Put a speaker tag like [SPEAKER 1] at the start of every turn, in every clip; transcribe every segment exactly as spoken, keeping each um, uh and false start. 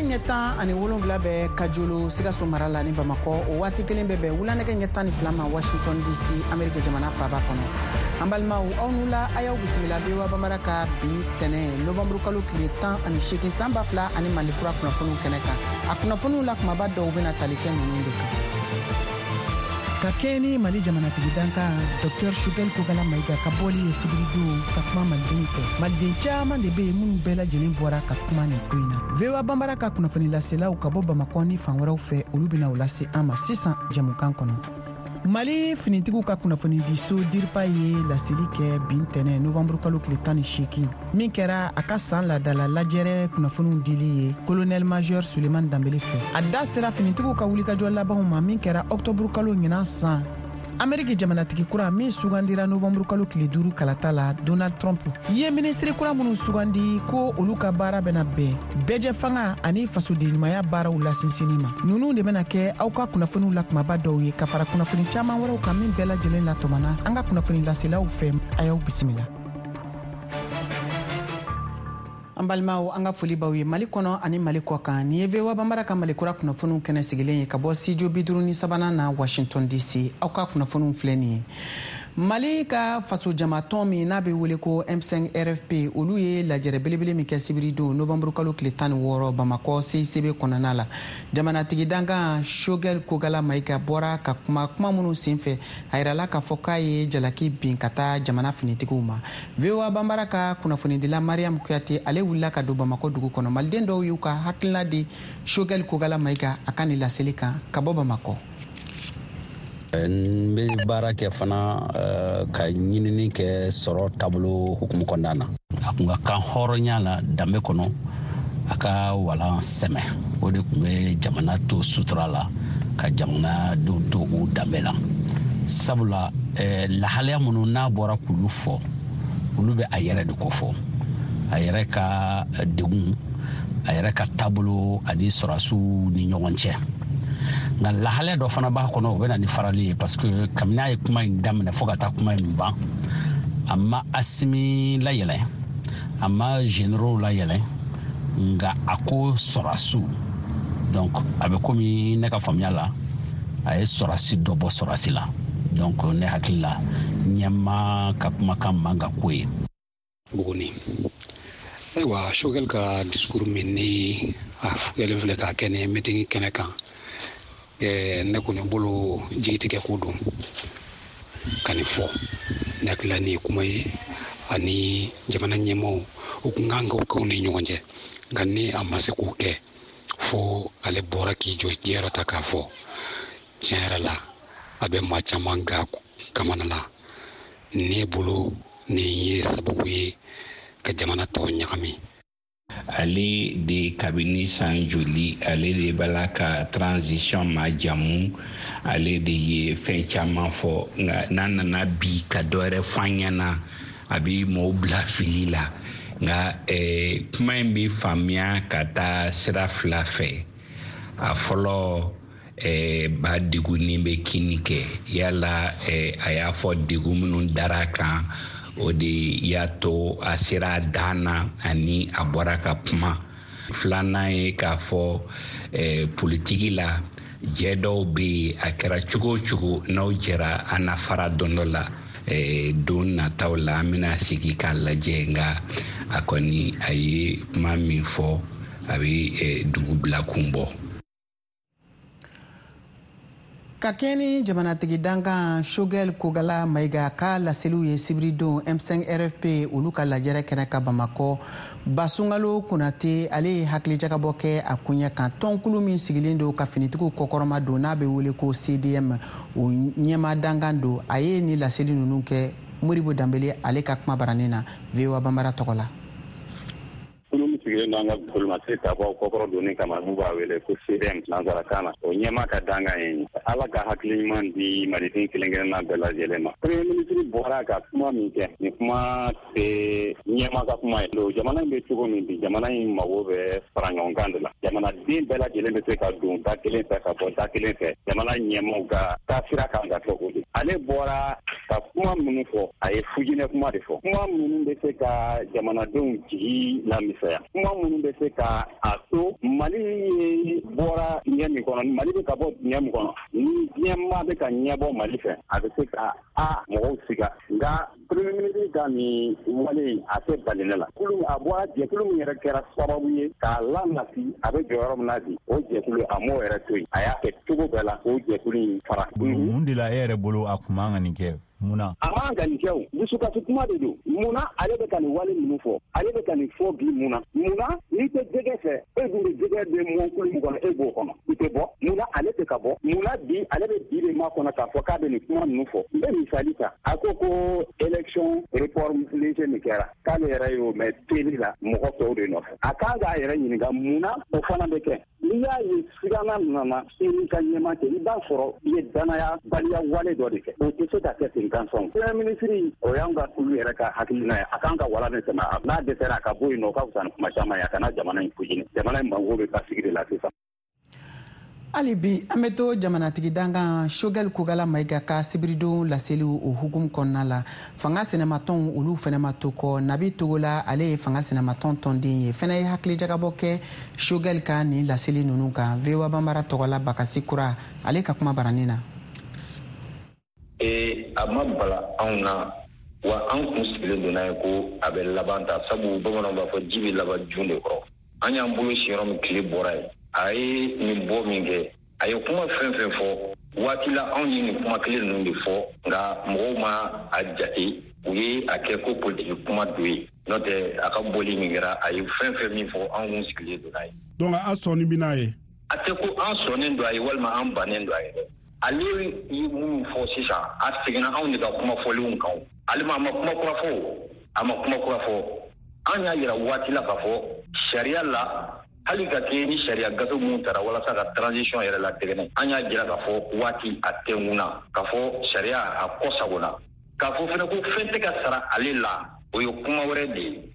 [SPEAKER 1] Nɛgɛ ɲɛ tan ani wolonwula bɛ Kajolo, Sikaso mara la ni Bamakɔ. O waati kelen bɛ bɛn wula nɛgɛ ɲɛ tan ni fila ma Washington D C, Ameriki jamana faaba kɔnɔ. An balimaw, aw n'u la, a y'aw bisimila V O A Bambara ka bi tɛnɛ novanburu kalo tile tan ani seegin san ba fila ani Mali kura kunnafoniw kɛnɛ kan. A kunnafoniw la kumaba dɔw bɛna tali kɛ ninnu de kan: ka kɛɲɛ ni Mali jamanatigi dankan Docteur Choguel Kokalla Maïga ka bɔli ye sibiridon ka kuma malidenw fɛ, maliden caaman de be yen minnu bɛɛ lajɛlen bɔra ka kuma nin ko in na. V O A Banbara ka kunnafoni laselaw ka bɔ Bamakɔ ni fan wɛrɛw fɛ, olu bena o lase an ma sisan jɛmukan kɔnɔ. Mali finitigiw ka kunnafonidiso DIRPA ye laseli kɛ bin tɛnɛ novanburu kalo tile tan ni seegin min kɛra a ka san ladala lajɛrɛ kunnafoniw dili ye colonel major Suleman Danbele fɛ. A da sera finitigiw ka wulikajɔ labanw ma min kɛra ɔktɔburu kalo ɲinan san. Ameriki jamanatigi kura min sugandira novanburu kalo tile duuru kalata la, Donald Trump ye minisiri kura minnu sugandi ko olu ka baara bɛna bɛn bɛɛjɛ fanga ani fasodenɲumanya baaraw lasinsinni ma. Ninnu de bɛna kɛ aw ka kunnafoniw la kumaba dɔw ye ka fara kunnafoni caaman wɛrɛw kan min bɛɛ lajɛlen latɔmɔna an ka kunnafoni laselaw fɛ. A y'aw bisimila. An balimaw, an ka foli b'aw ye Mali kɔnɔ ani Mali kɔ kan. Nin ye V O A Banbara ka Mali kura kunnafoniw kɛnɛ sigilen ye ka bɔ studio bi duuru ni sabanan na Washington D C. Aw ka kunnafoniw filɛ nin ye: Mali ka fasojamatɔn min n'a bɛ wele ko M cinq R F P, olu ye lajɛrɛ belebele min kɛ sibiridon novanburu kalo tile tan ni wɔɔrɔ Bamakɔ C I C B kɔnɔna la, jamanatigi dankan Choguel Kokalla Maïga bɔra ka kuma. Kuma minnu senfɛ, a yirala k'a fɔ k'a ye jalaki bin ka taa jamana finitigiw ma. V O A Banbara ka kunnafonidila Mariam Kuyate, ale wulila ka don Bamakɔ dugu kɔnɔ. Maliden dɔw y'u ka hakilina di Choguel Kokalla Maïga a ka nin laseli kan ka bɔ Bamakɔ.
[SPEAKER 2] N bɛ baara kɛ fana ka ɲinini kɛ sɔrɔ taabolo hukumu kɔnɔna na. A kun ka kan hɔrɔnya la, danbe kɔnɔ, a ka walan sɛmɛ, o de tun bɛ jamana to sutura la, ka jamanadenw to u danbe la, sabula lahalaya minnu n'a bɔra k'olu fɔ, olu bɛ a yɛrɛ de ko fɔ, a yɛrɛ ka degun, a yɛrɛ ka taabolo ani sɔrɔsiw ni ɲɔgɔn cɛ. Nka lahalaya dɔ fana b'a kɔnɔ, o bɛ na ni farali ye, parce que kabini a ye kuma in daminɛ fo ka taa kuma in ban, a ma Asimi layɛlɛn, a ma généraux layɛlɛn, nka a ko sɔrɔsiw. Donc a bɛ komi ne ka faamuya la, a ye sɔrɔsi dɔ bɔ sɔrɔsi la. Donc ne hakili la, ɲɛmaa ka kumakan man ka ko ye.
[SPEAKER 3] Buguni, ayiwa, Choguel ka discours min ni a kɛlen filɛ k'a kɛ ni meeting kɛnɛ kan, ne kɔni bolo jigitigɛ ko don ka nin fɔ. Ne hakili la, nin ye kuma ye ani jamana ɲɛmaaw u kun kan k'o kɛ u ni ɲɔgɔn cɛ, nka ni a ma se k'o kɛ fo ale bɔra k'i jɔ jiyɔrɔ ta k'a fɔ. Tiɲɛ yɛrɛ la, a bɛ maa caman ga kamana la. Ne bolo, nin ye sababu ye ka jamana tɔ ɲagami.
[SPEAKER 4] Ale de, kabini san joli, ale de b'a la ka transition majamu, ale de ye fɛn caman fɔ, nka n'a nana bi ka dɔ wɛrɛ fɔ an ɲɛna, a bɛ mɔgɔw bila fili la. Nka eh, kuma in bɛ faamuya ka taa sira fila fɛ. A fɔlɔ, eh, ba degunni bɛ kini kɛ yala eh, a y'a fɔ degun minnu dara a kan, o de y'a to a sera a dan na ani a bɔra ka kuma. Filanan ye k'a fɔ eh, politiki la, jɛ dɔw bɛ yen, a kɛra cogo o cogo, n'aw jɛra, a na fara don dɔ la. eh, don nataw la, an bɛna sigi k'a lajɛ. Nka a kɔni, a ye kuma min fɔ, a bɛ eh, dugu bila kun bɔ.
[SPEAKER 1] Ka kɛɲɛ ni jamanatigi dankan Choguel Kokalla Maïga ka laseliw ye sibiridon M cinq R F P olu ka lajɛrɛ kɛnɛ ka Bamakɔ, Basungalo Konate, ale ye hakilijakabɔ kɛ a koɲɛ kan. Tɔnkulu min sigilen don ka finitigiw kɔkɔrɔma don, n'a bɛ wele ko C D M, o ɲɛma dankan don. A ye ni laseli ninnu kɛ Modibo Danbele ale ka kuma baranin na V O A Banbara tɔgɔ la.
[SPEAKER 5] Kulu min sigilen don an ka bolimafɛn tabaw kɔkɔrɔ donni kama, n'u b'a wele ko C D M nansarakan na, o ɲɛma ka dankan ye Ala ka hakili ɲuman di maliden kelen kelenna bɛɛ lajɛlen ma. Premier ministre bɔra ka kuma min kɛ, nin kuma tɛ ɲɛma ka kuma ye. Jamana in bɛ cogo min bi, jamana in mago bɛ fara ɲɔgɔn kan de la. Jamanaden bɛɛ lajɛlen bɛ se ka don da kelen fɛ ka bɔ da kelen fɛ. Jamana ɲɛmaw ka taasira kan ka kɛ o de. Ale bɔra Ka kuma minnu fɔ, a ye fujinɛ kuma de fɔ. Kuma minnu bɛ se ka jamanadenw jigi lamisɛnya. Kuma minnu bɛ se ka a to Mali ye bɔra dingɛ min kɔnɔ, Mali bɛ ka bɔ dingɛ min kɔnɔ, ni diɲɛmaa bɛ ka ɲɛbɔ Mali fɛ, a bɛ se ka a mɔgɔw siga. Nka premier ministre ka nin wale in, a tɛ bali ne la. Kulu a bɔra jɛkulu min yɛrɛ kɛra sababu ye k'a lanati, a bɛ jɔyɔrɔ min na bi, o jɛkulu a m'o yɛrɛ to yen. A y'a kɛ cogo bɛɛ la k'o jɛkulu in fara.
[SPEAKER 6] Mun de la e yɛrɛ bolo a kun man ka nin kɛ? Mun na?
[SPEAKER 5] A man ka nin kɛ o. Dusukasi kuma de don. Mun na ale bɛ ka nin wale ninnu fɔ? Ale bɛ ka nin fɔ bi mun na? Mun na n'i tɛ jɛgɛ fɛ, e dun bɛ jɛgɛ bɛ mɔnkulu min kɔnɔ, e b'o kɔnɔ. I tɛ bɔ. Mun na ale tɛ ka bɔ? Mun na bi ale bɛ bi de makɔnɔ k'a fɔ k'a bɛ nin kuma ninnu fɔ? N bɛ misali ta. A ko ko élection réforme léger min kɛra, k'ale yɛrɛ y'o mɛn teli la mɔgɔ tɔw de nɔfɛ. A kan k'a yɛrɛ ɲininka mun na o fana bɛ kɛ. N'i y'a ye sigana nana i n'i ka ɲɛmaa cɛ, i b'a sɔrɔ i ye danaya baliya wale dɔ de kɛ. O tɛ se ka kɛ ten gansan. Premier ministre, o y'an ka kulu yɛrɛ ka hakilina ye. A kan ka wala de tɛmɛ. N'a dɛsɛra a ka bɔ yen nɔ, o ka fisa ni kuma caman ye. A kana jamana in fujini. Jamana in mago bɛ basigi de la sisan.
[SPEAKER 1] Hali bi an bɛ to jamanatigi dankan Choguel Kokalla Maïga ka sibiridon laseliw o hukumu kɔnɔna la. Fanga sɛnɛmatɔnw olu fɛnɛ ma to kɔ. Nabi Togola, ale ye fanga sɛnɛmatɔn tɔnden ye, fɛnɛ ye hakilijagabɔ kɛ Choguel ka nin laseli ninnu kan. V O A Banbara tɔgɔla Bakasi Kura, ale ka kuma baranin na.
[SPEAKER 7] Ee, a ma bala anw na wa an kun sigilen don n'a ye ko a bɛ laban ta, sabu bamananw b'a fɔ ji bɛ laban jun de kɔrɔ. An y'an bolo si yɔrɔ min tile bɔra yen. A ye nin bɔ min kɛ, a ye kuma fɛn fɛn fɔ waati la, anw ye nin kuma kelen ninnu de fɔ, nka mɔgɔw ma a jate, u ye a kɛ ko politiki kuma dɔ ye. N'o tɛ a ka bɔli min kɛra, a ye fɛn fɛn min fɔ, anw kun sigilen don n'a ye.
[SPEAKER 8] Donc a sɔnni bɛ n'a ye?
[SPEAKER 7] A tɛ ko an sɔnnen don a ye walima an bannen don a ye dɛ. Ale ye minnu fɔ sisan, a seginna anw de ka kuma fɔlenw kan. Ale ma a ma kuma kura fɔ, a ma kuma kura fɔ. An y'a yira waati la k'a fɔ sariya la, hali ka kɛ ni sariya gafe minnu tara walasa ka transition yɛrɛ latɛgɛnɛ, an y'a jira k'a fɔ waati a tɛnkun k'a fɔ sariya a kɔ sagona, k'a fɔ fɛnɛ ko fɛn tɛ ka sara ale la, o ye kuma wɛrɛ de ye.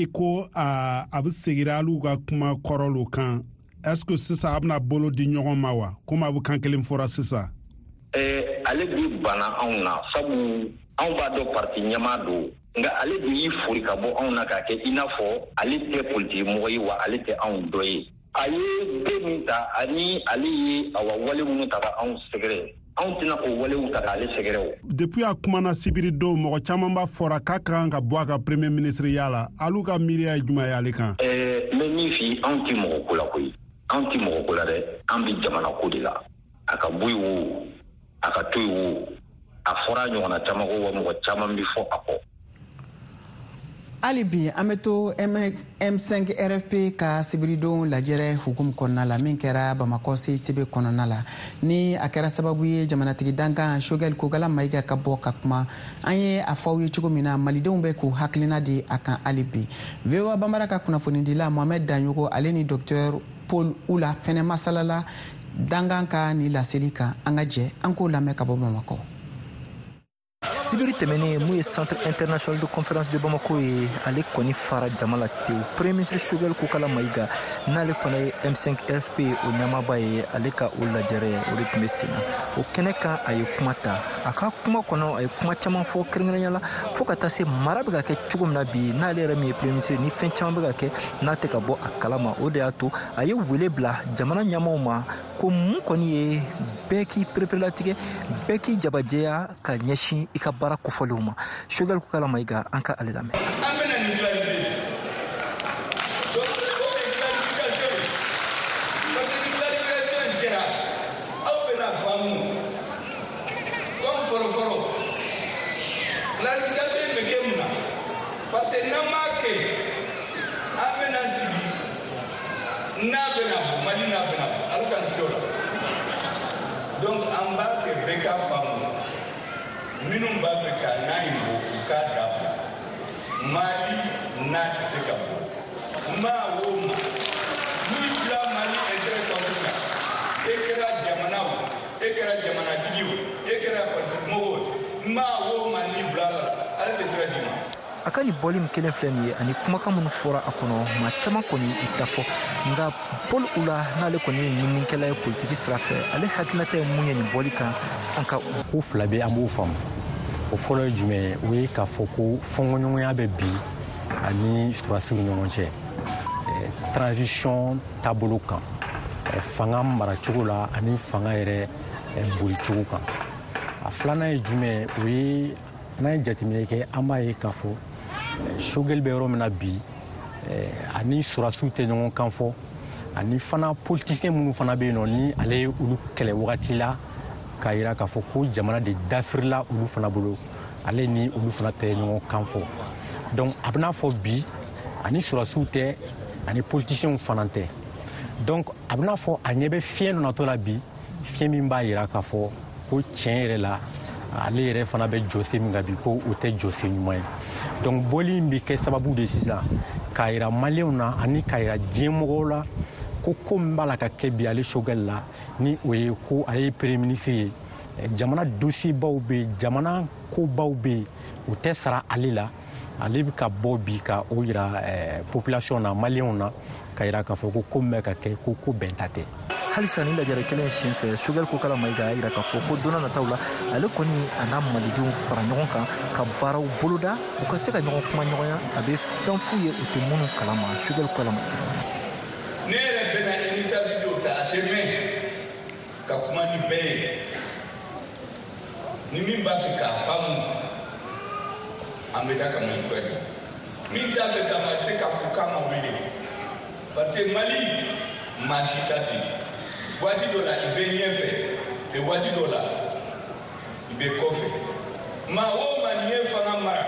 [SPEAKER 8] I ko a a bɛ segira hali u ka kuma kɔrɔw kan. Est-ce que sisan a bɛna bolo di ɲɔgɔn ma wa? Komi a bɛ kan kelen fɔra sisan.
[SPEAKER 7] Ɛɛ, ale bi banna anw na, sabu anw b'a dɔn parti ɲɛmaa don. Nka ale de y'i fori ka bɔ anw na k'a kɛ i n'a fɔ ale tɛ politiki mɔgɔ ye wa ale tɛ anw dɔ ye. A ye den min ta ani ale ye awa wale minnu ta ka anw sɛgɛrɛ, anw tɛna o walew ta k'ale sɛgɛrɛ o.
[SPEAKER 8] Depuis a kumana sibiri don, mɔgɔ caman b'a fɔra k'a ka kan ka bɔ a ka premier ministre ya la. Alu ka miiriya ye jumɛn ye ale kan?
[SPEAKER 7] Ɛɛ, n bɛ min f'i ye, anw tɛ mɔgɔ ko la koyi. Anw tɛ mɔgɔ ko la dɛ, an bɛ jamana ko de la. A ka bɔ yen o, a ka to yen o, a fɔra a ɲɔgɔnna caman ko wa mɔgɔ caman bɛ fɔ a kɔ.
[SPEAKER 1] Hali bi an bɛ to M cinq R F P ka sibiridon lajɛrɛ hukumu kɔnɔna la min kɛra Bamakɔ C I C B kɔnɔna la, ni a kɛra sababu ye jamanatigi dankan Choguel Kokalla Maïga ka bɔ ka kuma. An ye a fɔ aw ye cogo min na, malidenw bɛ k'u hakilina di a kan hali bi. V O A Banbara ka kunnafonidila Mohamed Daɲogo, ale ni docteur Paul Oula fɛnɛ masalala dankan ka ni laseli kan. An ka jɛ an k'o lamɛn ka bɔ Bamakɔ.
[SPEAKER 9] Sibiri tɛmɛnen, mun ye Centre international de conférence de Bamako ye, ale kɔni fara jama la tewu. Premier ministre Choguel Kokalla Maïga, n'ale fana ye M cinq R F P o ɲɛmaaba ye, ale ka o lajɛrɛ o de tun bɛ sen na. O kɛnɛ kan, a ye kuma ta. A ka kuma kɔnɔ, a ye kuma caman fɔ, kɛrɛnkɛrɛnya la fo ka taa se mara bɛ ka kɛ cogo min na bi, n'ale yɛrɛ min ye premier ministre, ni fɛn caman bɛ ka kɛ n'a tɛ ka bɔ a kalama. O de y'a to a ye wele bila jamana ɲɛmaaw ma ko mun kɔni ye bɛɛ k'i pereperelatigɛ, bɛɛ k'i jabajɛya ka ɲɛsin i ka baara kofɔlenw ma. Choguel Kokalla Maïga, an ka ale lamɛn.
[SPEAKER 10] An bɛna nin clarifier. Donc o ye clarification ye, parce que ni clarification in kɛra, aw bɛna faamu comme fɔlɔ-fɔlɔ. Clarification in bɛ kɛ mun na? Parce que n'an m'a kɛ, an bɛna sigi n'a bɛna bɔ Mali, n'a bɛna bɔ, Ala k'an kisi o la. Donc an b'a kɛ bɛɛ k'a faamu. Minnu b'a fɛ ka n'a in bɔ, u k'a dabila. Mali n'a tɛ se ka bɔ, maa o maa n'i bila Mali intérêt contre la, e kɛra jamana o, e kɛra jamanatigi o, e kɛra politikimɔgɔ o, maa o maa n'i bila la, Ala tɛ sira d'i ma.
[SPEAKER 9] A ka nin bɔli min kelen filɛ nin ye, ani kumakan minnu fɔra a kɔnɔ, maa caman kɔni i ta fɔ. Nka Paul Oula, n'ale kɔni ye ɲininikɛla ye politiki sira fɛ, ale hakilinata ye mun ye nin bɔli kan? An ka
[SPEAKER 11] ko fila bɛ, an b'o faamu. O fɔlɔ ye jumɛn ye? O ye k'a fɔ ko fɔnkɔɲɔgɔnya bɛ bi ani sɔrɔdasiw ni ɲɔgɔn cɛ transition taabolo kan, fanga maracogo la ani fanga yɛrɛ bolicogo kan. A filanan ye jumɛn ye? O ye n'an ye jateminɛ kɛ, an b'a ye k'a fɔ Choguel bɛ yɔrɔ min na bi, ani sɔrɔdasiw tɛ ɲɔgɔn kan fɔ, ani fana politicien minnu fana bɛ yen nɔ ni ale ye olu kɛlɛ wagati la k'a yira k'a fɔ ko jamana de dafirila olu fana bolo, ale ni olu fana tɛ ɲɔgɔn kan fɔ. Donc a bɛna fɔ bi ani sɔrɔdasiw tɛ, ani politiciens fana tɛ. Donc a bɛna fɔ a ɲɛ bɛ fiɲɛ dɔ natɔ la bi, fiɲɛ min b'a yira k'a fɔ ko tiɲɛ yɛrɛ la ale yɛrɛ fana bɛ jɔsen min kan bi, ko o tɛ jɔsen ɲuman ye. Donc bɔli in bɛ kɛ sababu de sisan k'a yira maliyɛnw na ani k'a yira diɲɛ mɔgɔw la ko ko min b'a la ka kɛ bi ale Choguel la, ni o ye ko ale ye premier ministre ye, jamana dossier baw bɛ yen, jamana kobaw bɛ yen, o tɛ sara ale la. Ale bɛ ka bɔ bi ka o yira population na, maliyɛnw na, ka yira k'a fɔ ko ko min bɛ ka kɛ ko ko bɛnta tɛ.
[SPEAKER 9] Halisa ni lajɛrɛ kelen sen fɛ, Choguel Kokalla Maïga y'a yira k'a fɔ ko don nataw la ale kɔni a n'a malidenw fara ɲɔgɔn kan ka baaraw boloda, u ka se ka ɲɔgɔn kuma ɲɔgɔnya, a bɛ fɛn f'u ye u tɛ minnu kalama. Choguel Kokalla Maïga:
[SPEAKER 10] ne yɛrɛ bɛna initiative dɔw ta a tɛ mɛn ka kuma ni bɛɛ ye, ni min b'a fɛ k'a faamu an bɛ taa ka Mali kura jɔ, min t'a fɛ k'a ma se k'a fɔ k'a ma wele, parce que Mali maa si ta tɛ yen. Waati dɔ la i bɛ ɲɛfɛ, mɛ waati dɔ la i bɛ kɔfɛ. Maa o maa n'i ye fanga mara,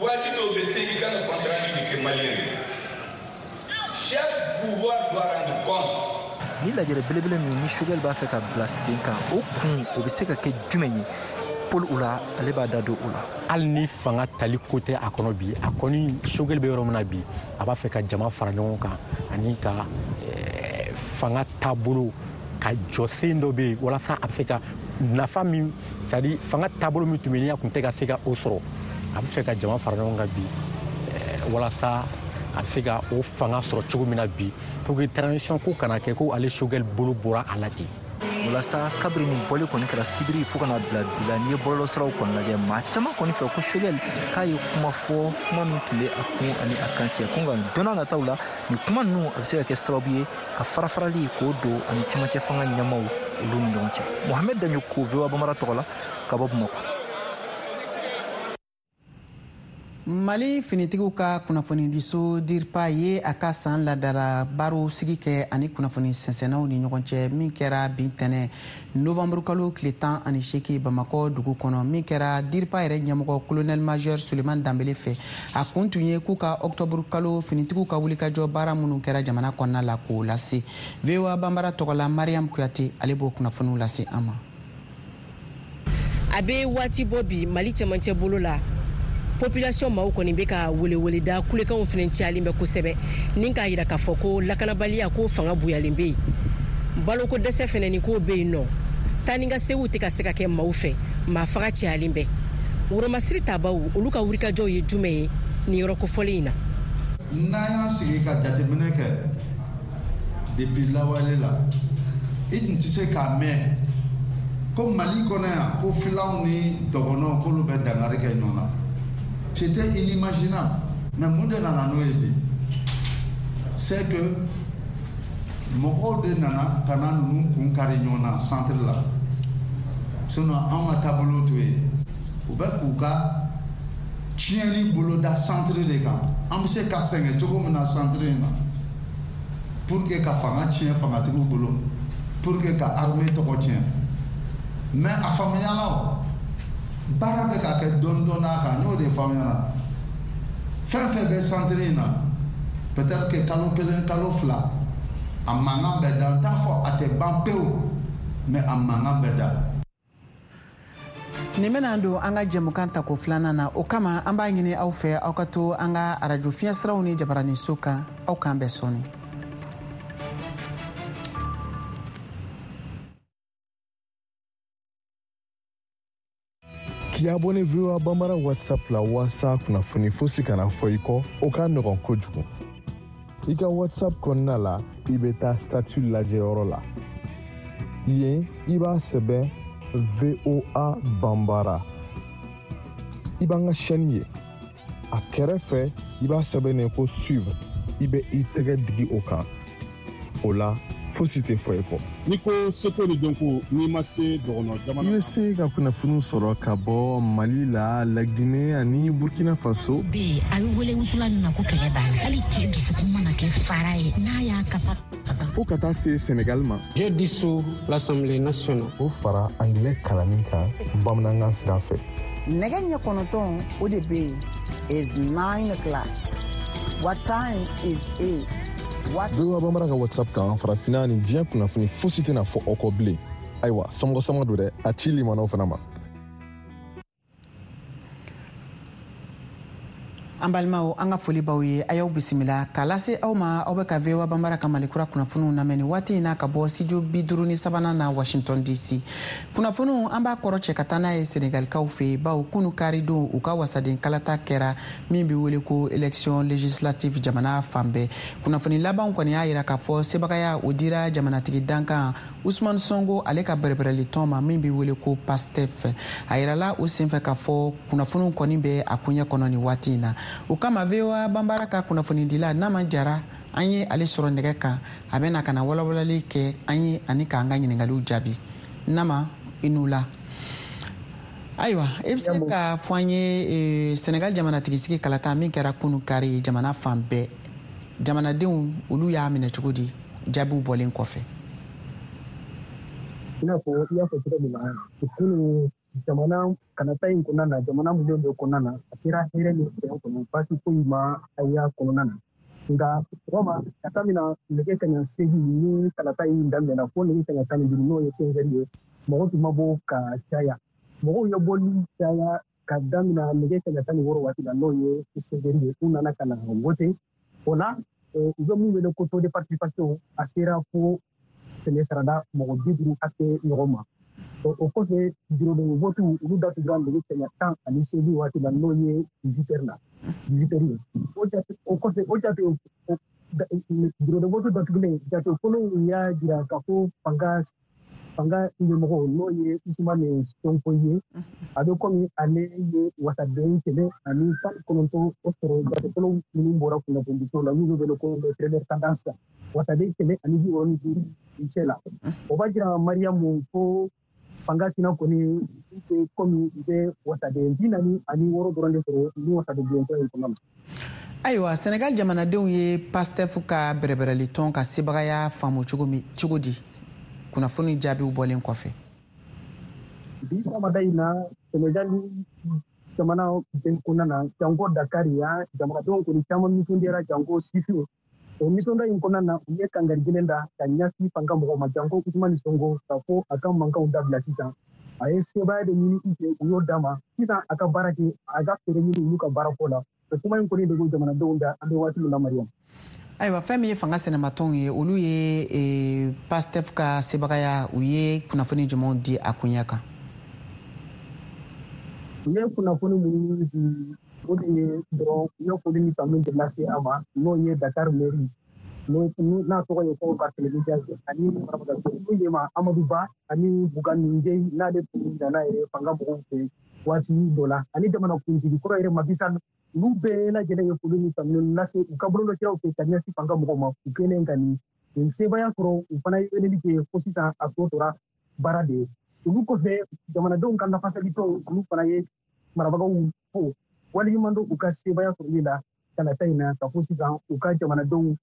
[SPEAKER 10] waati dɔw bɛ se i kan ka compte rendu de kɛ maliyɛn ye. Chaque pouvoir doit rendre compte.
[SPEAKER 9] Ni lajɛrɛ belebele min ni Choguel b'a fɛ ka bila sen kan, o kun o bɛ se ka kɛ jumɛn ye? Paul Oula ale b'a da don o la.
[SPEAKER 11] Hali ni fanga tali ko tɛ a kɔnɔ bi, a kɔni Choguel bɛ yɔrɔ min na bi, a b'a fɛ ka jama fara ɲɔgɔn kan ani ka fanga taabolo ka jɔsen dɔ bɛ yen walasa a bɛ se ka nafa min, c'est à dire fanga taabolo min tun bɛ yen a tun tɛ ka se ka o sɔrɔ, a bɛ fɛ ka jama fara ɲɔgɔn kan bi walasa a bɛ se ka o fanga sɔrɔ cogo min na bi, pour que transition ko kana kɛ ko ale Choguel bolo bɔra a la ten.
[SPEAKER 9] Walasa kabiri nin bɔli kɔni kɛra sibiri fo kana bila bi la, n'i ye bɔlɔlɔsiraw kɔni lajɛ, maa caman kɔni fɛ ko Choguel k'a ye kuma fɔ, kuma min tun bɛ a kun ani a kan cɛ, ko nka don n'a nataw la nin kuma ninnu a bɛ se ka kɛ sababu ye ka farafarali k'o don ani cɛmancɛ fanga ɲɛmaaw olu ni ɲɔgɔn cɛ. Mohamed Dagnoko, V O A Bambara tɔgɔ la ka bɔ Bamakɔ.
[SPEAKER 1] Mali finitigiw ka kunnafonidiso DIRPA ye a ka san ladara baro sigi kɛ ani kunnafoni sɛnsɛnnaw ni ɲɔgɔn cɛ, min kɛra bi tɛnɛ novembre kalo tile tan ani seegin Bamakɔ dugu kɔnɔ, min kɛra DIRPA yɛrɛ ɲɛmɔgɔ colonel major Suleiman Danbele fɛ. A kun tun ye k'u ka octobre kalo finitigiw ka wulikajɔ baara minnu kɛra jamana kɔnɔna la k'o lase. V O A Bambara tɔgɔ la Mariam Kuyate ale b'o kunnafoniw lase an ma.
[SPEAKER 12] A bɛ waati bɔ bi Mali cɛmancɛ bolo la, population maaw kɔni bɛ ka weleweleda kulekanw fana cayalen bɛ kosɛbɛ, ni k'a yira k'a fɔ ko lakanabaliya ko fanga bonyalen bɛ yen, baloko dɛsɛ fana ni k'o bɛ yen nɔ, taa ni ka seginw tɛ ka se ka kɛ maaw fɛ, maa faga cayalen bɛ. Woromasiri tabaw olu ka wulikajɔw ye jumɛn ye nin yɔrɔ kofɔlen in na?
[SPEAKER 13] N'an y'an sigi ka jateminɛ kɛ depuis lawale la, i tun tɛ se k'a mɛn ko Mali kɔnɔ yan ko filaw ni dɔgɔnɔw k'olu bɛ dankari kɛ ɲɔgɔn na. C'était inimaginable. Mais mun de nana n'o ye bi? C'est que mɔgɔw de nana ka na ninnu kun kari ɲɔgɔn na centre la. Sinon anw ka taabolo t'o ye. U bɛ k'u ka tiɲɛni boloda centre de kan. An bɛ se ka sɛgɛn cogo min na centre in na, pour que ka fanga tiɲɛ fangatigiw bolo, pour que ka armée tɔgɔ tiɲɛ. Mais a faamuyala o. Baara bɛ ka kɛ dɔɔni dɔɔni a kan, n y'o de f'aw ɲɛna. Fɛn fɛn bɛ centre in na, peut-être que kalo kelen kalo fila a mankan bɛ da. N t'a fɔ a tɛ ban pewu, mais a mankan bɛ da.
[SPEAKER 1] Nin bɛna don an ka jɛmukan tako filanan na, o kama an b'a ɲini aw fɛ aw ka to an ka arajo fiɲɛsiraw ni jabaraninso kan. Aw k'an bɛn sɔɔni.
[SPEAKER 14] K'i abonné V O A Bambara WhatsApp la walasa kunnafoni fosi kana fɔ i kɔ, o ka nɔgɔn kojugu. I ka WhatsApp kɔnɔna la, i bɛ taa statut lajɛyɔrɔ la. Yen, i b'a sɛbɛn V O A Bambara. i b'an ka chaîne ye. A kɛrɛfɛ, i b'a sɛbɛnnen ko suivre, i bɛ i tɛgɛ digi o kan. O la, fosi tɛ fɔ i kɔ.
[SPEAKER 8] N'i ko seko ni dɔnko, n'i ma se dɔgɔnɔ jamana.
[SPEAKER 14] I bɛ se ka kunnafoniw sɔrɔ ka bɔ Mali la, Laginɛ ani Burkina Faso.
[SPEAKER 15] Bɛ yen, a bɛ wele wusulan min ma ko kɛlɛ b'a la. Hali cɛ dusukun mana kɛ fara ye, n'a y'a kasa.
[SPEAKER 14] Fo ka taa se Senegal ma.
[SPEAKER 16] J'ai dissous l'Assemblée nationale.
[SPEAKER 14] O fara anglais kalanni kan bamanankan sira fɛ.
[SPEAKER 1] Nɛgɛ ɲɛ kɔnɔntɔn o de bɛ yen. Is nine o'clock. What time is it?
[SPEAKER 14] V O A Bambara ka WhatsApp kan, farafinna ni diɲɛ kunnafoni fosi tɛna fɔ aw kɔ bilen. Ayiwa, somɔgɔ sama don dɛ, a ci limanaw fana ma.
[SPEAKER 1] An balimaw, an ka foli b'aw ye, a y'aw bisimila k'a lase aw ma. Aw bɛ ka V O A Bambara ka Malikura kunnafoniw lamɛn nin waati in na ka bɔ studio bi duuru ni sabanan na Washington D C. Kunnafoniw an b'a kɔrɔ cɛ ka taa n'a ye Senegalikaw fɛ yen, bawo kunu karidon u ka wasaden kalata kɛra min bɛ wele ko élection législative jamana fan bɛɛ. Kunnafoni labanw kɔni y'a jira k'a fɔ sebagaya o dira jamanatigi dankan Ousmane Sonko ale ka bɛrɛbɛrɛli tɔn ma min bɛ wele ko PASTEF. A yirala o senfɛ k'a fɔ kunnafoniw kɔni bɛ a koɲɛ kɔnɔ nin waati in na. O kama V O A Bambara ka kunnafonidila Nama Jara, an ye ale sɔrɔ nɛgɛ kan, a bɛna ka na walawalali kɛ an ye ani k'an ka ɲininkaliw jaabi. Nama, i n'u la. Ayiwa, i bɛ se ka fɔ an ye Senegal jamanatigisigi kalata min kɛra kunu kari jamana fan bɛɛ, jamanadenw olu y'a minɛ cogo di jaabiw bɔlen kɔfɛ?
[SPEAKER 17] I n'a fɔ i y'a fɔ cogo min na, kunu jamana kalata in kɔnɔna na, jamana minnu bɛ kɔnɔna na, a kɛra hɛrɛ ni bɛn kɔnɔ, baasi foyi ma a y'a kɔnɔna na. Nka sɔgɔma ka taa min na nɛgɛ kaɲa seegin ni kalata in daminɛna fo nɛgɛ kaɲa tan ni duuru, n'o ye cinq heures ye, mɔgɔ tun ma bɔ ka caya. Mɔgɔw ye bɔli caya ka daminɛ nɛgɛ kaɲa tan ni wɔɔrɔ waati la, n'o ye sept heures ye, u nana ka na wote. O la, u bɛ mun wele ko taux de participation, a sera fo kɛmɛ sarada mɔgɔ bi duuru hakɛ ɲɔgɔn ma. O kɔfɛ, bureau de vote olu datugura nɛgɛ kaɲa tan ani seegin waati la, n'o ye dix-huit heures la, dix-huit heures ye. O jate o kɔfɛ, o jate bureau de vote datugulen, jate fɔlɔw y'a jira k'a fɔ fanga fanga ɲɛmɔgɔ n'o ye Ousmane Sonko ye, a bɛ komi ale ye wasaden kɛmɛ ani tan ni kɔnɔntɔn o sɔrɔ jate fɔlɔ minnu bɔra kunnafonidiso la, n'u bɛ wele ko les premières tendances, wasaden kɛmɛ ani bi wɔɔrɔ ni duuru cɛ la. O b'a jira Mariyamu ko fanga sina kɔni bɛ komi u bɛ wasaden bi naani ani wɔɔrɔ dɔrɔn de sɔrɔ ni wasaden bulon in kɔnɔ.
[SPEAKER 1] Ayiwa, Senegal jamanadenw ye PASTEF ka bɛrɛbɛrɛli tɔn ka sebagaya faamu cogo min cogo di kunnafoni jaabiw bɔlen kɔfɛ?
[SPEAKER 17] Bi sɔgɔmada in na, Senegal jamana bɛɛ kɔnɔna na, janko Dakar yan, jamanadenw kɔni caman nisɔndiyara, janko sifinw. O nisɔndiya in kɔnɔna na, u ye kangari gɛlɛn da ka ɲɛsin fanga mɔgɔw ma, janko Ousmane Sonko, k'a fɔ a ka mankanw dabila sisan. A ye sebaaya de ɲini u fɛ, u y'o d'a ma. Sisan a ka baara kɛ, a ka fɛɛrɛ ɲini olu ka baarako la. O kuma in kɔni de bɛ jamanadenw da an bɛ waati min na, Mariam.
[SPEAKER 1] Ayiwa, fɛn min ye fanga sɛnɛmatɔnw ye, olu ye PASTEF ka sebagaya, u ye kunnafoni jumɛnw di a koɲɛ kan?
[SPEAKER 17] U ye kunnafoni minnu di, o de ye dɔrɔn u ye foli ni tanu de lase a ma, n'o ye Dakar mairie, n'a tɔgɔ ye ko Barthélémy Dias, ani marabaga ye ma Amadou Ba ani Bougane Gueye, n'ale tun nana yɛrɛ fanga mɔgɔw fɛ waati dɔ la, ani jamana kuntigi kɔrɔ yɛrɛ Macky Sall, olu bɛɛ lajɛlen ye foli ni tanu lase u ka bɔlɔlɔsiraw fɛ ka ɲɛsin fanga mɔgɔw ma. U kɛlen ka nin nin sebaaya sɔrɔ, u fana ye weleli kɛ fo sisan a tɔ tora baara de ye. Olu kɔfɛ, jamanadenw ka lafasalitɔnw, olu fana ye marabagaw fo waleɲuman dɔn u ka sebaaya sɔrɔli la kalata in na, ka fɔ sisan u ka jamanadenw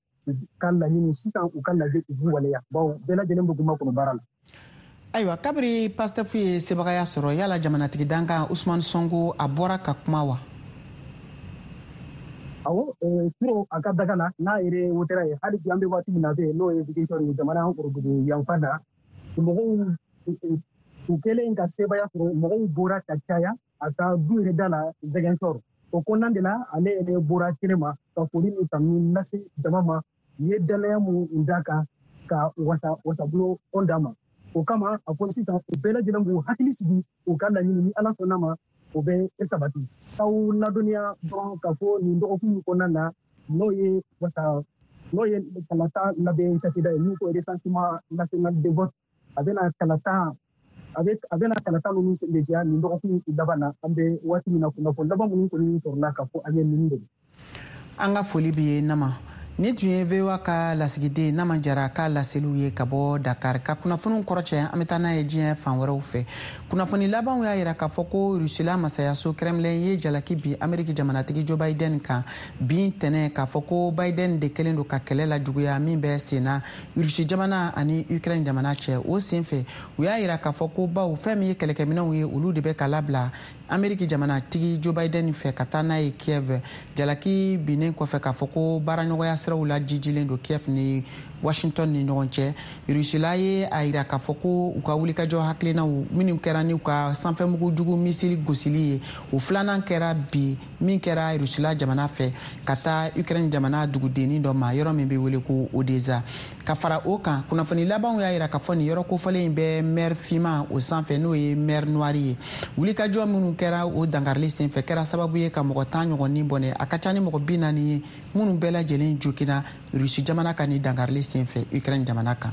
[SPEAKER 17] ka laɲini sisan u ka lajɛ u b'u waleya, bawo bɛɛ lajɛlen bɛ kuma kɔnɔ baara la.
[SPEAKER 1] Ayiwa, kabiri PASTEF ye sebagaya sɔrɔ, yala jamanatigi dankan Ousmane Sonko a bɔra ka kuma wa?
[SPEAKER 17] Awɔ, suro a ka daga la n'a yɛrɛ wotera ye, hali bi an bɛ waati min na bɛ yen, n'o ye Ziguinchor ye, jamana worodugu yanfan na, mɔgɔw u kɛlen ka sebaaya sɔrɔ, mɔgɔw bɔra ka caya a ka du yɛrɛ da la Ziguinchor. O kɔnɔna de la, ale yɛrɛ bɔra kɛnɛ ma ka foli ni tanu lase jama ma, u ye danaya mun d'a kan ka wasa wasabulon d'a ma. O kama a ko sisan u bɛɛ lajɛlen b'u hakili sigi u ka laɲini, ni Ala sɔnna ma o bɛ sabati. K'aw ladɔnniya dɔrɔn k'a fɔ nin dɔgɔkun in kɔnɔna na, n'o ye wasa n'o ye kalata labɛn cakɛda ye min ko recensement national de vote, a bɛna kalata A bɛ a bɛna kalata ninnu senbɛntiya nin dɔgɔkun laban na. An bɛ waati min na, kunnafoni laban minnu kɔni sɔrɔla ka fɔ an ye ninnu de.
[SPEAKER 1] An ka foli b'i ye, Nama. Ni tun ye V O A ka lasigiden Nama Jara ka laseliw ye ka bɔ Dakar. Ka kunnafoniw kɔrɔcɛ, an bɛ taa n'a ye diɲɛ fan wɛrɛw fɛ. Kunnafoni labanw y'a yira k'a fɔ ko Rusila masayaso Kremlin ye jalaki bi Ameriki jamanatigi Joe Biden kan bin tɛnɛ, k'a fɔ ko Biden de kɛlen don ka kɛlɛ la juguya min bɛ senna Rusi jamana ani Ukraine jamana cɛ. O sen fɛ, u y'a yira k'a fɔ ko baw fɛn min ye kɛlɛkɛminɛw ye, olu de bɛ ka labila Ameriki jamanatigi Joe Biden fɛ ka taa n'a ye Kiev. Jalaki binnen kɔfɛ k'a fɔ ko baaraɲɔgɔnya siraw la jijilen don Kiev ni Washington ni ɲɔgɔn cɛ, Rusila ye a yira k'a fɔ ko u ka wulikajɔ hakilinaw minnu kɛra n'u ka sanfɛmugu jugu misili gosili ye, o filanan kɛra bi min kɛra Rusila jamana fɛ ka taa Ukraine jamana dugudennin dɔ ma, yɔrɔ min bɛ wele ko Odesa. Ka fara o kan, kunnafoni labanw y'a yira k'a fɔ nin yɔrɔ kofɔlen in bɛ mer finman o sanfɛ, n'o ye mer Noire ye. Wulikajɔ minnu kɛra o dankarili senfɛ kɛra sababu ye ka mɔgɔ tan ɲɔgɔn ni bɔnɛ. A ka ca ni mɔgɔ bi naani ye minnu bɛɛ lajɛlen jogina Rusi jamana ka nin dankarili senfɛ Ukraine jamana kan.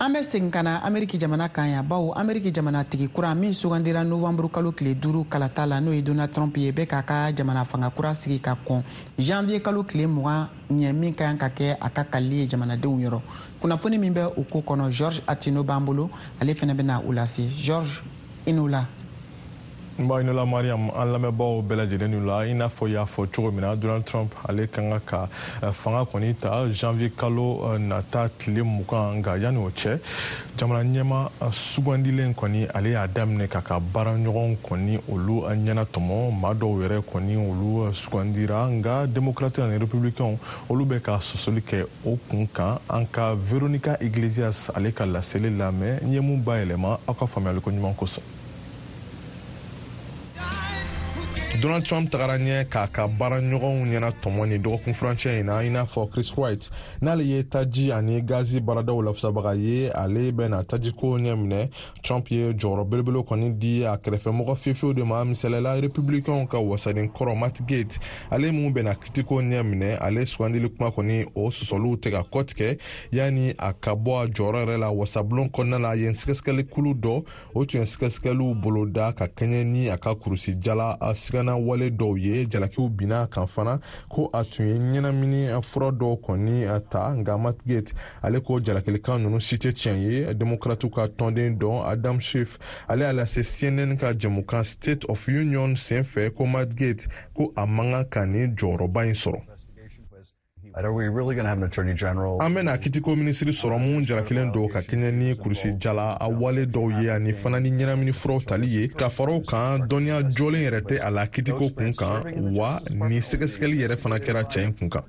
[SPEAKER 1] An bɛ segin ka na Ameriki jamana kan yan, bawo Ameriki jamanatigi kura min sugandira novanburu kalo tile duuru kalata la, n'o ye Donald Trump ye, bɛ k'a ka jamana fanga kura sigi ka kɔn janvier kalo tile mugan ɲɛ, min ka kan ka kɛ a ka kalili ye jamanadenw yɔrɔ. Kunnafoni min bɛ o ko kɔnɔ, George Atino b'an bolo, ale fɛnɛ bɛna o lase. George, i n'o la.
[SPEAKER 14] N b'a ɲinila Mariam, an lamɛnbaaw bɛɛ lajɛlen n'u la. I n'a fɔ i y'a fɔ cogo min na, Donald Trump ale ka kan ka fanga kɔni ta janvier kalo nata tile mugan. Nka yanni o cɛ, jamana ɲɛma sugandilen kɔni, ale y'a daminɛ k'a ka baaraɲɔgɔn kɔni olu ɲɛnatɔmɔ. Maa dɔw yɛrɛ kɔni, olu sugandira, nka démocrate ani républicain olu bɛ ka sɔsɔli kɛ o kun kan. An ka Veronica Iglesias ale ka laseli lamɛn, n ye mun bayɛlɛma aw ka faamuyaliko ɲuman kosɔn. Donald Trump tagara ɲɛ k'a ka baaraɲɔgɔnw ɲɛna tɔmɔ ni dɔgɔkun furancɛ in na, i n'a fɔ Chris Wright, n'ale ye taji ani gazi baaradaw lafasabaga ye, ale bɛna tajiko ɲɛ minɛ. Trump ye jɔyɔrɔ belebele kɔni di a kɛrɛfɛmɔgɔ fiyefew de ma, misaliyala républicainw ka wasaden kɔrɔ Matt Gaetz, ale mun bɛna kitiko ɲɛ minɛ. Ale sugandili kuma kɔni, o sɔsɔliw tɛ ka kɔtigɛ yanni a ka bɔ a jɔyɔrɔ yɛrɛ la wasabulon kɔnɔna la. Yen sɛgɛsɛgɛli kulu dɔ, o tun ye sɛgɛsɛgɛliw boloda ka kɛɲɛ ni a ka kurusi jala sigana wale dɔw ye. Jalakiw binna kan fana ko a tun ye ɲɛnamini fura dɔw kɔni ta, nka Matt Gaetz ale ko jalakilikan ninnu si tɛ tiɲɛ ye. Demokratiw ka tɔnden dɔ Adam Schiff, ale y'a lase C N N ka jɛmukan State of Union senfɛ ko Matt Gaetz ko a man kan ka nin jɔyɔrɔba in sɔrɔ. An bɛna kitiko minisiri sɔrɔ mun jalakilen don ka kɛɲɛ ni kurusi jala a wale dɔw ye ani fana ni ɲɛnamini furaw tali ye. Ka fara o kan, dɔnniya jɔlen yɛrɛ tɛ a la kitiko kun kan wa. Ni sɛgɛsɛgɛli yɛrɛ fana kɛra cɛ in kun kan.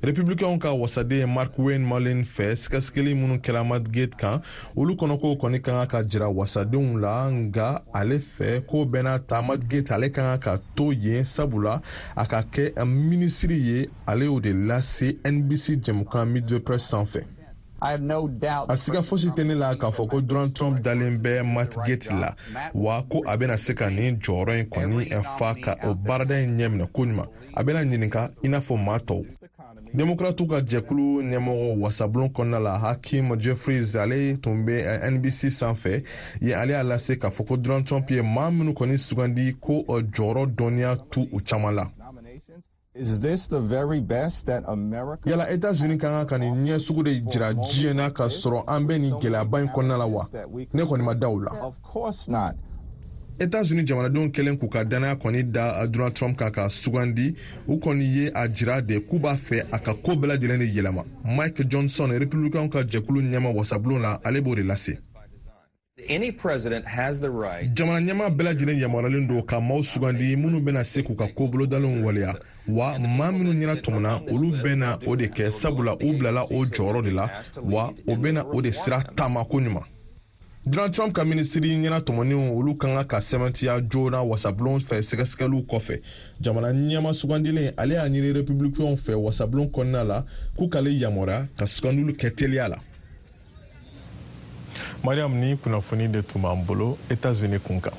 [SPEAKER 14] Républicainw ka wasaden Markwayne Mullin fɛ, sɛgɛsɛgɛli minnu kɛra Matt Gaetz kan, olu kɔnɔkow kɔni ka kan ka jira wasadenw la. Nka ale fɛ, ko bɛɛ n'a ta, Matt Gaetz ale ka kan ka to yen, sabula a ka kɛ minisiri ye. Ale y'o de lase N B C jɛmukan Meet Press sanfɛ. A siga fosi tɛ ne la k'a fɔ ko Donald Trump dalen bɛ Matt Gaetz la wa, ko a bɛna se ka nin jɔyɔrɔ in kɔni fa ka o baarada in ɲɛminɛ koɲuman. A bɛna ɲininka i n'a fɔ maa tɔw. Demokratiw ka jɛkulu ɲɛmɔgɔ wasabulon kɔnɔna la Hakim Jeffries, ale tun bɛ N B C sanfɛ ye, ale y'a lase k'a fɔ ko Donald Trump ye maa minnu kɔni sugandi, ko jɔyɔrɔ dɔnniya tu u caman la. Yala Etats-Unis ka kan ka nin ɲɛ sugu de jira diɲɛ na ka sɔrɔ an bɛ nin gɛlɛyaba in kɔnɔna la wa? Ne kɔni ma da o la. Etats-Unis jamanadenw kɛlen k'u ka dannaya kɔni da Donald Trump kan ka sugandi, u kɔni ye a jira de k'u b'a fɛ a ka ko bɛɛ lajɛlen de yɛlɛma. Mike Johnson, républicain ka jɛkulu ɲɛma wasabulon la, ale b'o de lase. Jamana ɲɛma bɛɛ lajɛlen yamaruyalen don ka maaw sugandi minnu bɛna se k'u ka ko bolodalenw waleya wa. Maa minnu ɲɛna tɔmɔna, olu bɛna o de kɛ, sabula u bilala o jɔyɔrɔ de la wa, o bɛna o de sira taama koɲuman. Donald Trump ka minisiri ɲɛna tɔmɔniw, olu ka kan ka sɛmɛntiya joona wasabulon fɛ sɛgɛsɛgɛliw kɔfɛ. Jamana ɲɛma sugandilen, ale y'a ɲini républicainw fɛ wasabulon kɔnɔna la k'u k'ale yamaruya ka sugandiliw kɛ teliya la. Mariam, ni kunnafoni de tun b'an bolo Etats-Unis kun kan.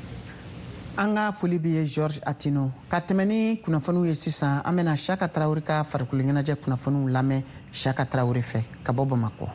[SPEAKER 1] An ka foli bɛ ye, George Atino. Ka tɛmɛ ni kunnafoniw ye sisan, an bɛna Saka Tarawele ka farikolo ɲɛnajɛ kunnafoniw lamɛn Saka Tarawele fɛ ka bɔ Bamakɔ.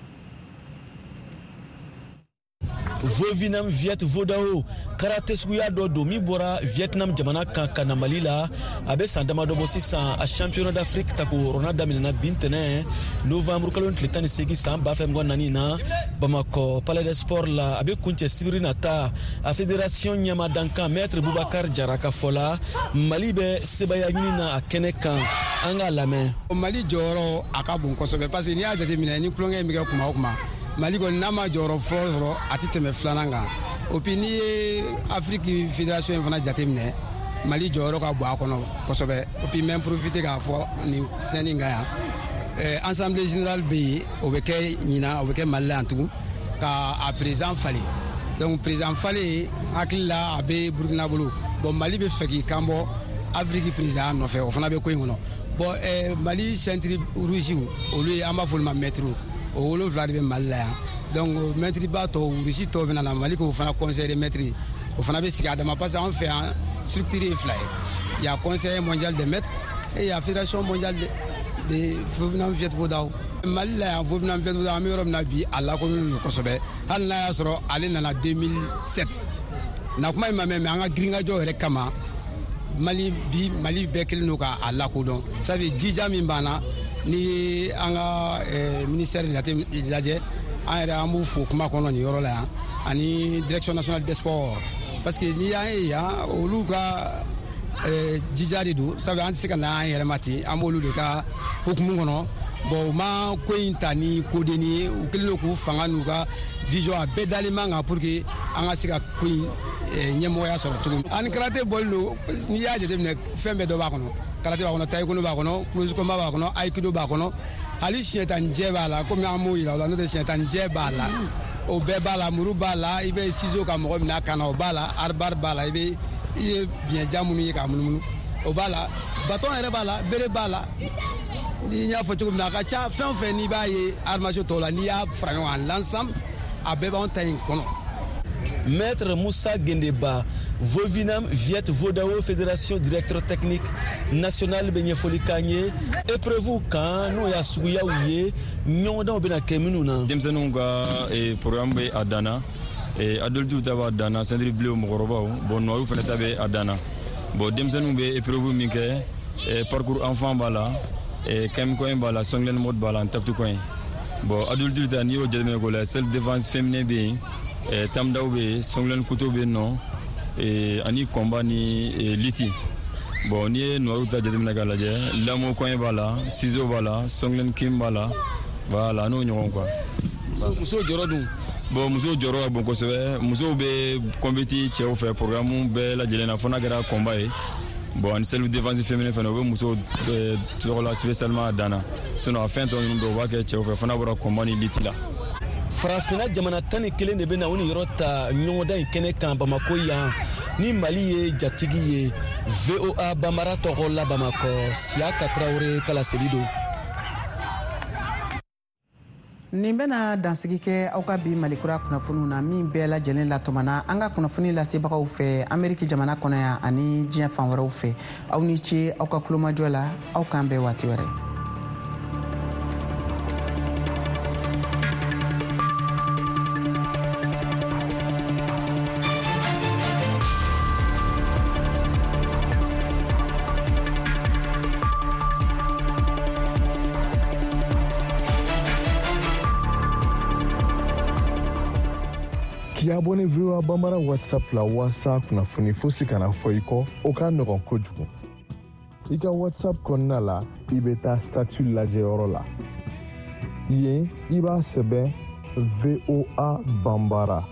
[SPEAKER 18] Vovinam Viet Vodao karate suguya dɔ don min bɔra Vietnam jamana kan ka na Mali la. A bɛ san damadɔ bɔ sisan. A championnat d'Afrique tako wɔɔrɔnan daminɛna bi ntɛnɛn novembre kalo tile tan ni seegin san ba fila mugan naani na Bamakɔ Palais des Sports la. A bɛ kuncɛ sibiri nata. A fédération ɲɛma dankan maître Boubacar Jara ka fɔ la, Mali bɛ sebaaya ɲini na a kɛnɛ kan. An k'a lamɛn.
[SPEAKER 19] Mali jɔyɔrɔ a ka bon kosɛbɛ parce que n'i y'a jateminɛ ni tulonkɛ in bɛ kɛ kuma o kuma, Mali kɔni n'a ma jɔyɔrɔ fɔlɔ sɔrɔ a tɛ tɛmɛ filanan kan. O puis n'i ye Afrique fédération in fana jateminɛ, Mali jɔyɔrɔ ka bon a kɔnɔ kosɛbɛ. O puis n bɛ profiter k'a fɔ nin scène in kan yan, assemblée générale bɛ yen, o bɛ kɛ ɲinan, o bɛ kɛ Mali la yan tugun ka a président falen. Donc président falen hakili la a bɛ Burukina bolo. Bon, Mali bɛ fɛ k'i kan bɔ Afrique président nɔfɛ, o fana bɛ ko in kɔnɔ. Bon, eh, Mali ceinture rouge olu ye, an b'a fɔ olu ma maître, o wolonwula de bɛ Mali la yan. Donc maître ba tɔw, rouge tɔw bɛ na Mali k'o fana conseil des maîtres, o fana bɛ sigi a dama parce que an fɛ yan structure ye fila ye. Il y a conseil mondial des maîtres et il y a fédération mondiale de, de Vovinam Viet Vodao. Mali la yan Vovinam Viet Vodao an bɛ yɔrɔ min na bi, a lakodɔnnen don kosɛbɛ. Hali n'a y'a sɔrɔ ale nana deux mille sept na kuma in ma mɛn, mais an ka girinkajɔ yɛrɛ kama Mali bi Mali bɛɛ kelen don k'a lakodɔn. Sabu jija min b'an na, n'i ye an ka ministère jate lajɛ, an yɛrɛ an b'u fo kuma kɔnɔ nin yɔrɔ la yan, ani direction nationale des sports, parce que n'i y'an ye yan, olu ka jija de don. Sabu an tɛ se ka na an yɛrɛ ma ten, an b'olu de ka hukumu kɔnɔ. Bon, u ma ko in ta ni kodenni ye, u kɛlen don k'u fanga n'u ka vision a bɛɛ dalen man kan pour que an ka se ka ko in ɲɛmɔgɔya sɔrɔ cogo min. Ani karate bɔlen don, n'i y'a jateminɛ fɛn bɛɛ dɔ b'a kɔnɔ. Karate b'a kɔnɔ, taekwondo b'a kɔnɔ, close combat b'a kɔnɔ, aikido b'a kɔnɔ, hali siɲɛ tan ni jɛ b'a la. Komi an m'o yira o la, n'o tɛ siɲɛ tan ni jɛ b'a la, o bɛɛ b'a la, muru b'a la, i bɛ ciseau ka mɔgɔ minɛ a kan na, o b'a la, arbar b'a la, i bɛ i ye biɲɛjan minnu ye k'a munumunu, o b'a la, bâton yɛrɛ b'a la, bere b'a la. Ni n y'a fɔ cogo min na, a ka ca fɛn o fɛn n'i b'a ye arts martiaux tɔw la, n'i y'a fara ɲɔgɔn kan l'ensemble, a bɛɛ b'anw ta in kɔnɔ.
[SPEAKER 18] Maître Moussa Gendeba, Vovinam Viet Vodao Fédération directeur technique national bɛ ɲɛfɔli k'an ye épreuve kan, n'o y'a suguyaw ye, ɲɔgɔndanw bɛna kɛ minnu na.
[SPEAKER 20] Denmisɛnninw ka programme bɛ a dan na, adultes ta b'a dan na, ceinture bleue mɔgɔkɔrɔbaw, bon noirs fana ta bɛ a dan na. Bon, denmisɛnninw bɛ épreuve min kɛ, parcours enfant b'a la, kɛmɛ b'a la, songlen mode b'a la, taptu coin. Bon, adulte ta n'i y'o jateminɛ k'o la, self défense féminin bɛ yen, tamdaw bɛ yen, songlen couteau bɛ yen nɔ, ani combat ni lutte. Bon, n'i ye noirs ta jateminɛ k'a lajɛ, lamo coin b'a la, ciseau b'a la, songlen kim b'a la, voilà, n'o ɲɔgɔn quoi.
[SPEAKER 18] Musow jɔyɔrɔ dun?
[SPEAKER 20] Bon, musow jɔyɔrɔ ka bon kosɛbɛ. Musow bɛ compétit cɛw fɛ programme bɛɛ lajɛlen na, fo n'a kɛra combat ye. Bon, ani self défense féminin fana, u bɛ musow tɔgɔ la spécialement a dan na. Sinon a fɛn tɔ ninnu bɛɛ u b'a kɛ cɛw fɛ, fo n'a bɔra combat ni lutte la.
[SPEAKER 18] Farafinna jamana tan ni kelen de bɛ na u ni yɔrɔ ta ɲɔgɔndan in kɛnɛ kan Bamakɔ yan, ni Mali ye jatigi ye. V O A Bambara tɔgɔ la Bamakɔ, Siyaka Tarawele ka laseli don.
[SPEAKER 1] Nin bɛna dansigi kɛ aw ka bi Malikura kunnafoniw na, min bɛɛ lajɛlen latɔmana an ka kunnafoni lasebagaw fɛ Ameriki jamana kɔnɔ yan ani diɲɛ fan wɛrɛw fɛ. Aw ni ce aw ka kulomajɔ la, aw k'an bɛn waati wɛrɛ.
[SPEAKER 14] K'i abonné V O A Bambara WhatsApp la walasa kunnafoni fosi kana fɔ i kɔ, o ka nɔgɔn kojugu. I ka WhatsApp kɔnɔna la, i bɛ taa statut lajɛyɔrɔ la. Yen, i b'a sɛbɛn V O A Bambara.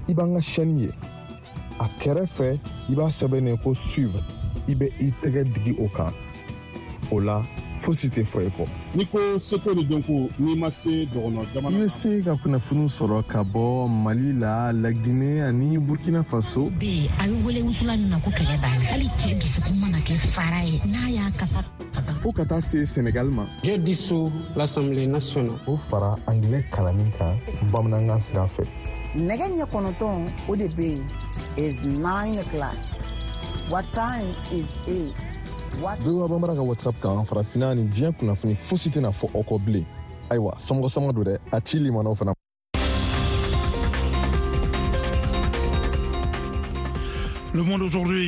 [SPEAKER 14] I b'an ka chaîne ye. A kɛrɛfɛ, i b'a sɛbɛn ko suivre. I bɛ i tɛgɛ digi o kan. O la, fosi tɛ fɔ i kɔ.
[SPEAKER 8] N'i ko seko ni dɔnko, n'i ma se dɔgɔnɔ jamana.
[SPEAKER 14] I bɛ se ka kunnafoniw sɔrɔ ka bɔ Mali la, Laginɛ ani Burkina Faso.
[SPEAKER 15] Bɛ a ye wele wusula min na ko kɛlɛ b'a la. Hali cɛ dusukun mana kɛ fara ye, n'a y'a kasa.
[SPEAKER 14] Fo ka taa se Senegal ma.
[SPEAKER 16] J'ai dissous l'Assemblée nationale.
[SPEAKER 14] O fara anglais kalanni kan bamanankan sira fɛ.
[SPEAKER 1] Nɛgɛ ɲɛ kɔnɔntɔn o de bɛ yen. Is nine o'clock. What time is it?
[SPEAKER 14] V O A Bambara ka WhatsApp kan, farafinna ni diɲɛ kunnafoni fosi tɛna fɔ aw kɔ bilen. Ayiwa, somɔgɔ sama don dɛ, a ci limanaw fana.
[SPEAKER 8] Le Monde aujourd'hui.